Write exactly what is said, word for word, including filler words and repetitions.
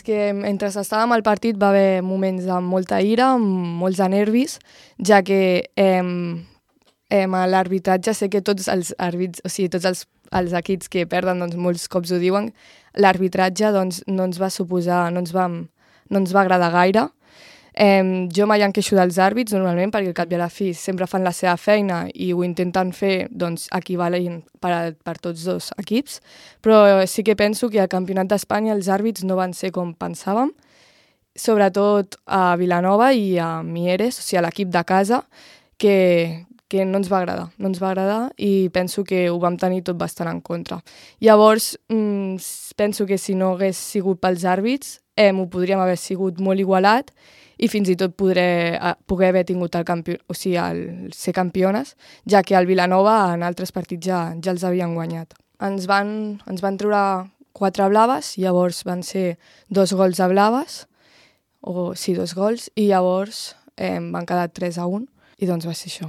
És que mentre estàvem al partit va haver moments amb molta ira, amb molts de nervis, ja que eh, eh, a l'arbitratge sé que tots els àrbits, o sigui, tots els, els equips que perden, doncs molts cops ho diuen, l'arbitratge doncs, no ens va suposar, no ens va, no ens va agradar gaire. Eh, jo mai em queixo dels àrbits normalment perquè al cap i a la fi sempre fan la seva feina i ho intenten fer doncs, equivalent per, a, per tots dos equips, però sí que penso que al Campionat d'Espanya els àrbits no van ser com pensàvem, sobretot a Vilanova i a Mieres, o sigui a l'equip de casa, que, que no ens va agradar, no ens va agradar i penso que ho vam tenir tot bastant en contra. Llavors, mmm, penso que si no hagués sigut pels àrbits, eh, ho podríem haver sigut molt igualat i fins i tot podré, eh, poder haver tingut el campió, o sigui, el ser campiones, ja que el Vilanova en altres partits ja, ja els havien guanyat. Ens van, ens van treure quatre blaves, llavors van ser dos gols a blaves, o sí, dos gols, i llavors eh, van quedar tres a un, i doncs va ser això.